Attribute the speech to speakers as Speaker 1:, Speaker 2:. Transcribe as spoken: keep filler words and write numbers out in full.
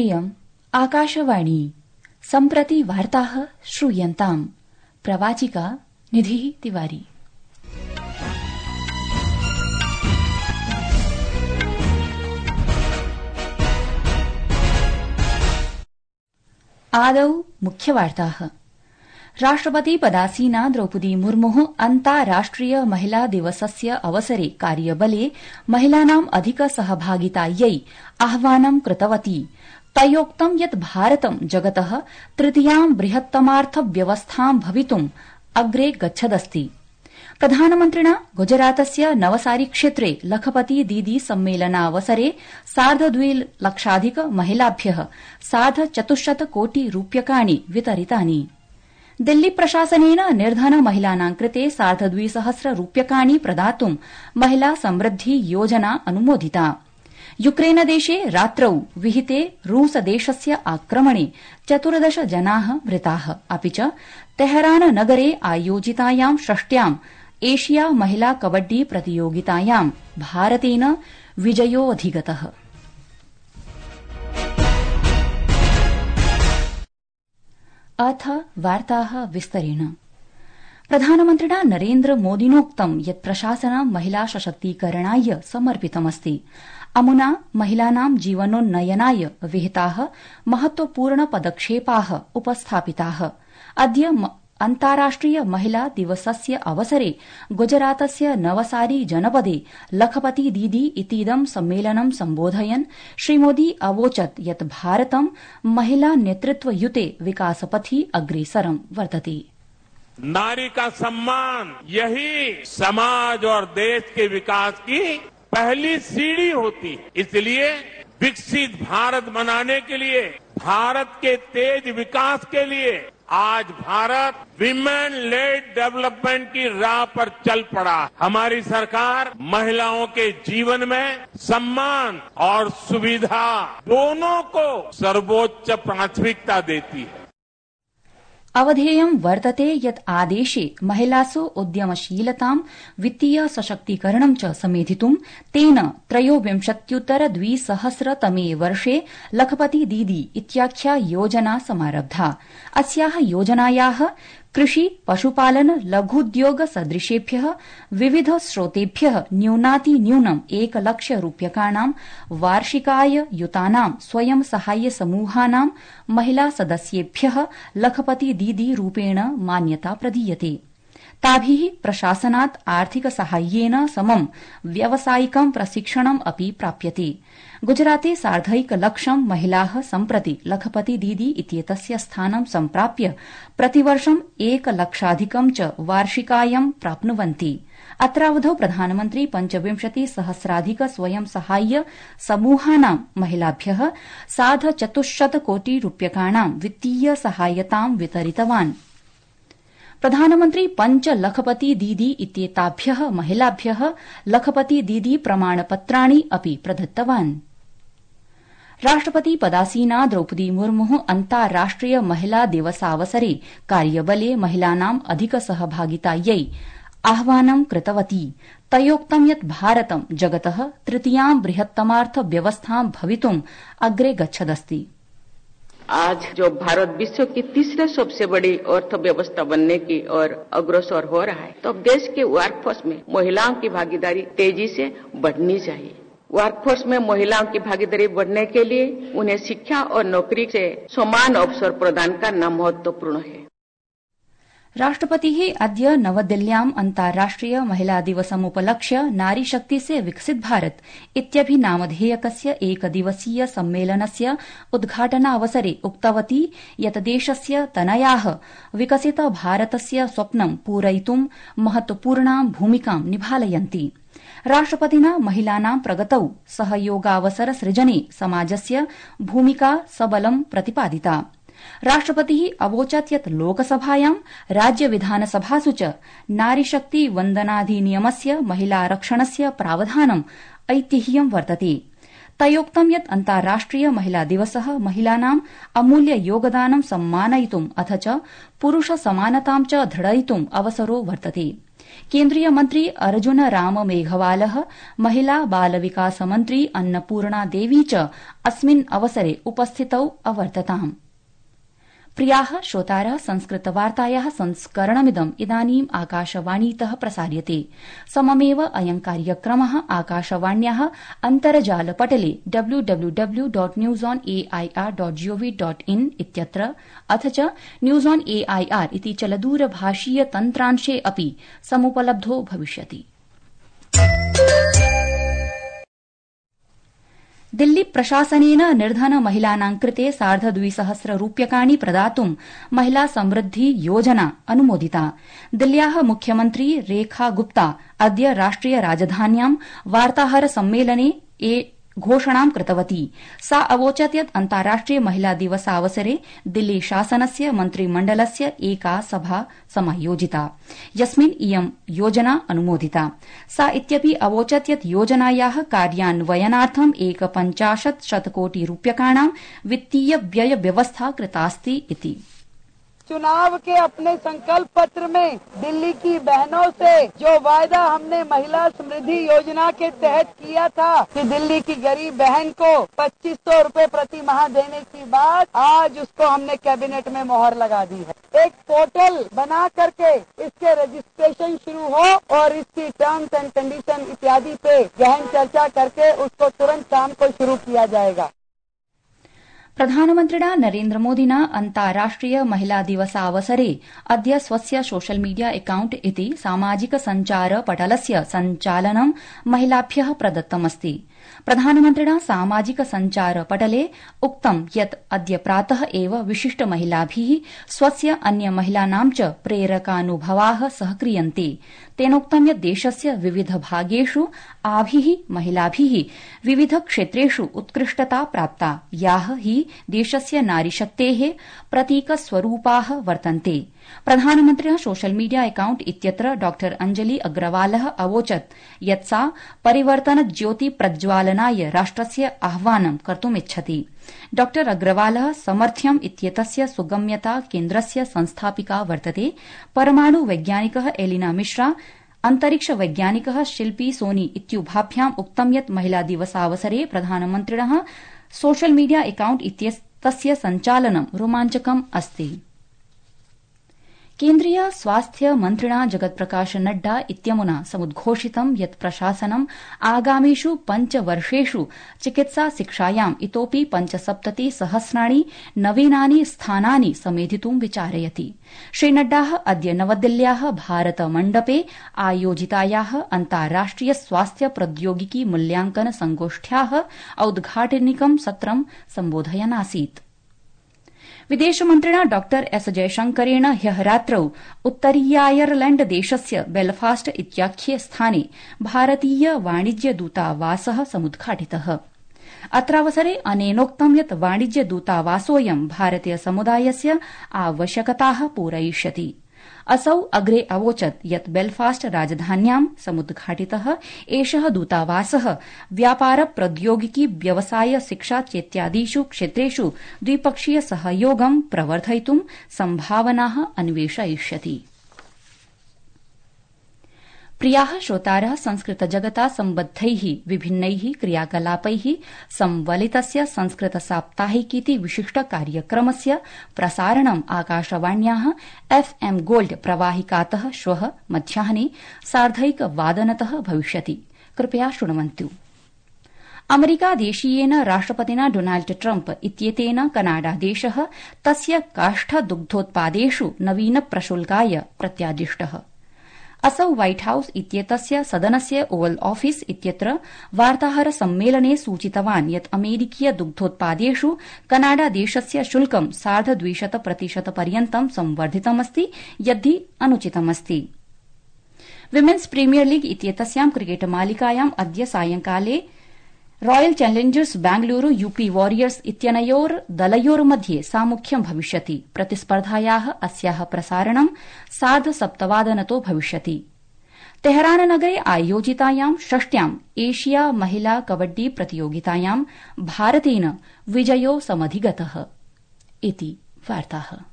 Speaker 1: इयम् आकाशवाणी सम्प्रति वार्ताः श्रूयन्ताम्। प्रवाचिका निधिः तिवारी। आदौ मुख्यवार्ताः। राष्ट्रपति पदासीना द्रौपदी मुर्मुः अन्ताराष्ट्रिय महिला दिवसस्य अवसरे कार्यबले महिलानाम् अधिक सहभागितायै आह्वानं कृतवती। तयोक्तं यत् भारतं जगतः तृतीयां बृहत्तमार्थव्यवस्थां भवितुम् अग्रे गच्छदस्ति। प्रधानमन्त्रिणा गुजरातस्य नवसारी क्षेत्रे लखपति दीदी सम्मेलनावसरे सार्धद्विलक्षाधिक महिलाभ्यः सार्धचतुश्शत कोटि रूप्यकाणि वितरितानि। दिल्ली प्रशासनेन निर्धन महिलानां कृते सार्धद्विसहस्र रूप्यकाणि प्रदातुं महिला समृद्धि योजना अनुमोदिता। यूक्रेनदेशे रात्रौ विहिते रूसदेशस्य आक्रमणे चतुर्दश जनाः मृताः। अपि च तेहरान नगरे आयोजितायां षष्ट्याम् एशिया महिला कबड्डी प्रतियोगितायां भारतेन विजयोऽधिगतः। अथ वार्ताः विस्तरेण। प्रधानमन्त्रिणा नरेन्द्र मोदिनोक्तं यत् प्रशासनं महिला सशक्तीकरणाय समर्पितमस्ति। अमुना महिलानां जीवनोन्नयनाय विहिताः महत्वपूर्ण पदक्षेपाः उपस्थापिताः। अद्य अन्ताराष्ट्रिय महिला दिवसस्य अवसरे गुजरातस्य नवसारी जनपदे लखपति दीदी इतीदं सम्मेलनं सम्बोधयन् श्रीमोदी अवोचत् यत् भारतं महिला नेतृत्वयुते विकासपथि अग्रेसरं वर्तते।
Speaker 2: नारी का सम्मान यही समाज और देश के विकास की पहली सीढ़ी होती है। इसलिए विकसित भारत बनाने के लिए, भारत के तेज विकास के लिए आज भारत विमेन लेड डेवलपमेंट की राह पर चल पड़ा। हमारी सरकार महिलाओं के जीवन में सम्मान और सुविधा दोनों को सर्वोच्च प्राथमिकता देती है।
Speaker 1: अवधेयं वर्तते यत् आदेशे महिलासु उद्यमशीलतां वित्तीय सशक्तीकरणं च समेधितुं तेन त्रयोविंशत्युत्तर द्विसहस्रतमे वर्षे लखपति दीदी इत्याख्या योजना समारब्धा। अस्याः योजनायाः कृषि पशुपालन लघुद्योग सदृशेभ्यः विविध स्रोतेभ्यः न्यूनातिन्यूनम् एकलक्ष रूप्यकाणां वार्षिकाय युतानां स्वयं सहाय्य समूहानां महिला सदस्येभ्यः लखपति दीदी रूपेण मान्यता प्रदीयते। ताभिः प्रशासनात् आर्थिक साहाय्येन समं व्यावसायिकं प्रशिक्षणम् अपि प्राप्यते। गुजराते सार्धैकलक्षं महिलाः सम्प्रति लखपति दीदी इत्येतस्य स्थानं सम्प्राप्य प्रतिवर्षम् एकलक्षाधिकं च वार्षिकायं प्राप्नुवन्ति। अत्रावधौ प्रधानमन्त्री पञ्चविंशति सहस्राधिक स्वयं सहाय्य समूहानां महिलाभ्यः सार्धचतुश्शत कोटि रूप्यकाणां वित्तीय सहायतां वितरितवान्। प्रधानमन्त्री पञ्च लखपति दीदी इत्येताभ्यः महिलाभ्यः लखपति दीदी प्रमाणपत्राणि अपि प्रदत्तवान्। राष्ट्रपति पदासीना द्रौपदी मुर्मुः अन्ताराष्ट्रिय महिला दिवसावसरे कार्यबले महिलानाम् अधिक सहभागितायै आह्वानं कृतवती। तयोक्तं यत् भारतं जगतः तृतीयां बृहत्तमार्थव्यवस्थां भवितुम् अग्रे गच्छदस्ति।
Speaker 3: आज जो भारत विश्व की तीसरे सबसे बड़ी अर्थव्यवस्था बनने की ओर अग्रसर हो रहा है, तो देश के वर्कफोर्स में महिलाओं की भागीदारी तेजी से बढ़नी चाहिए। वर्कफोर्स में महिलाओं की भागीदारी बढ़ने के लिए उन्हें शिक्षा और नौकरी से समान अवसर प्रदान करना महत्वपूर्ण है।
Speaker 1: राष्ट्रपतिः अद्य नवदिल्ल्याम् अन्ताराष्ट्रिय महिला दिवसमुपलक्ष्य नारी शक्ति से विकसित भारत इत्यभिनामधेयकस्य एकदिवसीय सम्मेलनस्य उद्घाटनावसरे उक्तवती यत् देशस्य तनयाः विकसित भारतस्य स्वप्नं पूरयितुं महत्वपूर्णां भूमिकां निभालयन्ति। राष्ट्रपतिना महिलानां प्रगतौ सहयोगावसर सृजने समाजस्य भूमिका सबलं प्रतिपादिता। राष्ट्रपतिः अवोचत् यत् लोकसभायां राज्य विधानसभासु च नारीशक्ति वन्दनाधिनियमस्य महिलारक्षणस्य प्रावधानम् ऐतिह्यं वर्तते। तयोक्तं यत् अन्ताराष्ट्रिय महिला दिवसः महिलानाम् अमूल्य योगदानं सम्मानयितुम् अथ च पुरुष समानतां च दृढयितुम् अवसरो वर्तते। केन्द्रीय मन्त्री अर्जुन राम मेघवालः महिला बाल विकास मन्त्री अन्नपूर्णा देवी च अस्मिन् अवसरे उपस्थितौ अवर्तताम्। प्रियाः श्रोतारः, संस्कृतवार्तायाः संस्करणमिदम् इदानीम् आकाशवाणीतः प्रसार्यते। सममेव अयं कार्यक्रमः आकाशवाण्याः अन्तर्जालपटले W W W dot news on A I R dot G O V dot in इत्यत्र अथ च news on A I R इति चलदूरभाषीय तन्त्रांशे अपि समुपलब्धो भविष्यति। दिल्ली प्रशासनेन निर्धन महिलानां कृते सार्धद्विसहस्र रूप्यकाणि प्रदातुं महिला समृद्धि योजना अनुमोदिता। दिल्ल्याः मुख्यमन्त्री रेखा गुप्ता अद्य राष्ट्रिय राजधान्यां वार्ताहर सम्मेलने घोषणां कृतवती। सा अवोचत् यत् अन्ताराष्ट्रिय महिला दिवसावसरे दिल्ली शासनस्य मन्त्रिमण्डलस्य एका सभा समायोजिता, यस्मिन् इयं योजना अनुमोदिता। सा इत्यपि अवोचत् यत् योजनायाः कार्यान्वयनार्थं एकपञ्चाशत् शतकोटि रूप्यकाणां वित्तीय व्यय व्यवस्था कृतास्ति इति।
Speaker 4: चुनाव के अपने संकल्प पत्र में दिल्ली की बहनों से जो वायदा हमने महिला समृद्धि योजना के तहत किया था कि दिल्ली की गरीब बहन को पच्चीस सौ रूपये प्रति माह देने की बात, आज उसको हमने कैबिनेट में मोहर लगा दी है। एक पोर्टल बना करके इसके रजिस्ट्रेशन शुरू हो और इसकी टर्म्स एंड कंडीशन इत्यादि पे गहन चर्चा करके उसको तुरंत काम को शुरू किया जाएगा।
Speaker 1: प्रधानमन्त्रिणा नरेन्द्रमोदिना अन्ताराष्ट्रिय महिला दिवसावसरे अद्य स्वस्य सोशल मीडिया अकाउंट इति सामाजिक सञ्चार पटलस्य सञ्चालनं महिलाभ्यः प्रदत्तमस्ति। प्रधानमन्त्रिणा सामाजिक सञ्चार पटले उक्तं यत् अद्य प्रातः एव विशिष्ट महिलाभिः स्वस्य अन्य महिलानां च प्रेरकानुभवाः सहक्रियन्ते। तेनोक्तं यत् देशस्य विविध भागेषु आभिः महिलाभिः विविध क्षेत्रेषु उत्कृष्टता प्राप्ता, याः हि देशस्य नारीशक्तेः प्रतीकस्वरूपाः वर्तन्ते। प्रधानमन्त्रिणः सोशल मीडिया अकाउंट इत्यत्र डॉ अंजलि अग्रवालः अवोचत् यत् सा परिवर्तन ज्योति प्रज्वालनाय राष्ट्रस्य आह्वानं कर्तुमिच्छति। डॉ अग्रवालः समर्थ्यम् इत्येतस्य सुगम्यता केन्द्रस्य संस्थापिका वर्तते। परमाणु वैज्ञानिकः एलिना मिश्रा, अंतरिक्ष वैज्ञानिकः शिल्पी सोनी इत्युभाभ्याम् उक्तं यत् महिला दिवसावसरे प्रधानमन्त्रिणः सोशल मीडिया अकाउंट इत्येतस्य सञ्चालनं रोमाञ्चकम् अस्ति। केन्द्रीय स्वास्थ्य मन्त्रिणा जगत्प्रकाश नड्डा इत्यमुना समुद्घोषितं यत् प्रशासनं आगामिषु पञ्चवर्षेषु चिकित्सा शिक्षायाम् इतोपि पञ्चसप्तति सहस्राणि नवीनानि स्थानानि समेधितुं विचारयति। श्री नड्डा अद्य नवदिल्ल्याः भारत मण्डपे आयोजितायाः अन्ताराष्ट्रिय स्वास्थ्य प्रौद्योगिकी मूल्यांकन संगोष्ठ्याः औद्घाटनिकं सत्रं सम्बोधयन् आसीत्। विदेशमन्त्रिणा डॉ एस जयशंकरेण ह्यः रात्रौ उत्तरीयायरलैण्ड देशस्य बेलफास्ट इत्याख्ये स्थाने भारतीय वाणिज्य दूतावासः समुद्घाटितः। अत्रावसरे अनेनोक्तं यत् वाणिज्य दूतावासोऽयं भारतीय समुदायस्य आवश्यकताः पूरयिष्यति। असौ अग्रे अवोचत् यत् बेलफास्ट राजधान्यां समुद्घाटितः एषः दूतावासः व्यापार प्रौद्योगिकी व्यवसाय शिक्षा चेत्यादिषु क्षेत्रेषु द्विपक्षीय सहयोगं प्रवर्धयितुं सम्भावनाः अन्वेषयिष्यति। प्रियाः श्रोतारः, संस्कृत जगता सम्बद्धैः विभिन्नैः क्रियाकलापैः संवलितस्य संस्कृत साप्ताहिकीति विशिष्ट कार्यक्रमस्य प्रसारणम् आकाशवाण्याः एफ एम गोल्ड प्रवाहिकातः श्वः मध्याह्ने सार्धैकवादनतः भविष्यति। कृपया शृण्वन्तु। अमेरिकादेशीयेन राष्ट्रपतिना डोनाल्ड ट्रम्प इत्येतेन कनाडादेशः तस्य काष्ठदुग्धोत्पादेषु नवीन प्रशुल्काय प्रत्यादिष्टः। असौ व्हाइट हाउस इत्येतस्य सदनस्य ओवल ऑफिस इत्यत्र वार्ताहर सम्मेलने सूचितवान् यत् अमेरिकीय दुग्धोत्पादेषु कनाडादेशस्य शुल्कं सार्धद्विशत प्रतिशत पर्यन्तं संवर्धितमस्ति, यद्धि अनुचितमस्ति। विमेन्स प्रीमियर लीग इत्येतस्यां क्रिकेट मालिकायाम् अद्य सायंकाले royal challengers Bengaluru UP warriors इत्यनयोर् दलयोर्मध्ये सामुख्यं भविष्यति। प्रतिस्पर्धायाः अस्याः प्रसारणं सार्धसप्तवादनतो भविष्यति। तेहराननगरे आयोजितायां षष्ट्याम् एशिया महिला कबड्डी प्रतियोगितायां भारतेन विजयो समधिगतः। इति वार्ताः।